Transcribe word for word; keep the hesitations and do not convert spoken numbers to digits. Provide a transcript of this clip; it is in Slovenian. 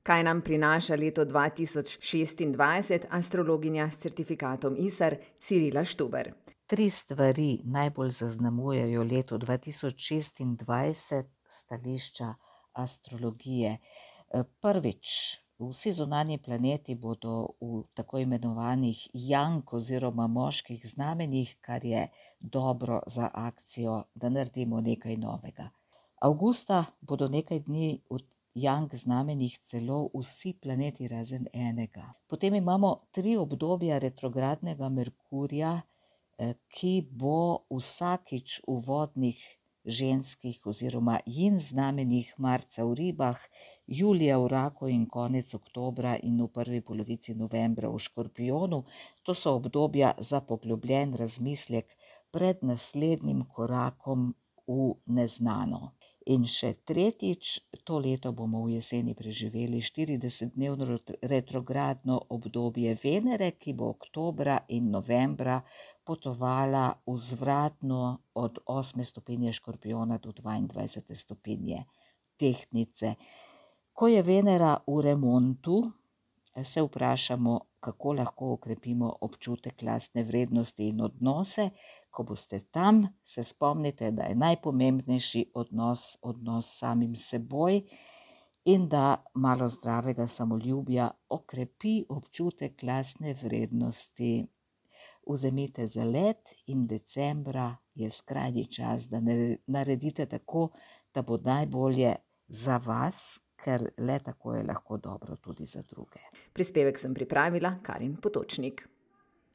Kaj nam prinaša leto dva tisoč šestindvajset, astrologinja s certifikatom I S A R Cirila Štuber. Tri stvari najbolj zaznamujejo leto dva tisoč šestindvajset s stališča astrologije. Prvič, vsi zunanji planeti bodo v tako imenovanih Yang oziroma moških znamenjih, kar je dobro za akcijo, da naredimo nekaj novega. Avgusta bodo nekaj dni v Yang znamenjih celo vsi planeti razen enega. Potem imamo tri obdobja retrogradnega Merkurja, ki bo vsakič v vodnih ženskih oziroma Yin znamenjih, marca v Ribah, julija v Raku in konec oktobra in v prvi polovici novembra v Škorpijonu. To so obdobja za poglobljen razmislek pred naslednjim korakom v neznano. In še tretjič, to leto bomo v jeseni preživeli štiridesetdnevno retrogradno obdobje Venere, ki bo oktobra in novembra potovala vzvratno od osme stopinje Škorpijona do dvaindvajsete stopinje Tehtnice. Ko je Venera v remontu, se vprašamo, kako lahko okrepimo občutek lastne vrednosti in odnose. Ko boste tam, se spomnite, da je najpomembnejši odnos, odnos s samim seboj in da malo zdravega samoljubja okrepi občutek lastne vrednosti. Vzemite zalet in decembra je skrajni čas, da naredite tako, da bo najbolje za vas, ker le tako je lahko dobro tudi za druge. Prispevek sem pripravila Karin Potočnik.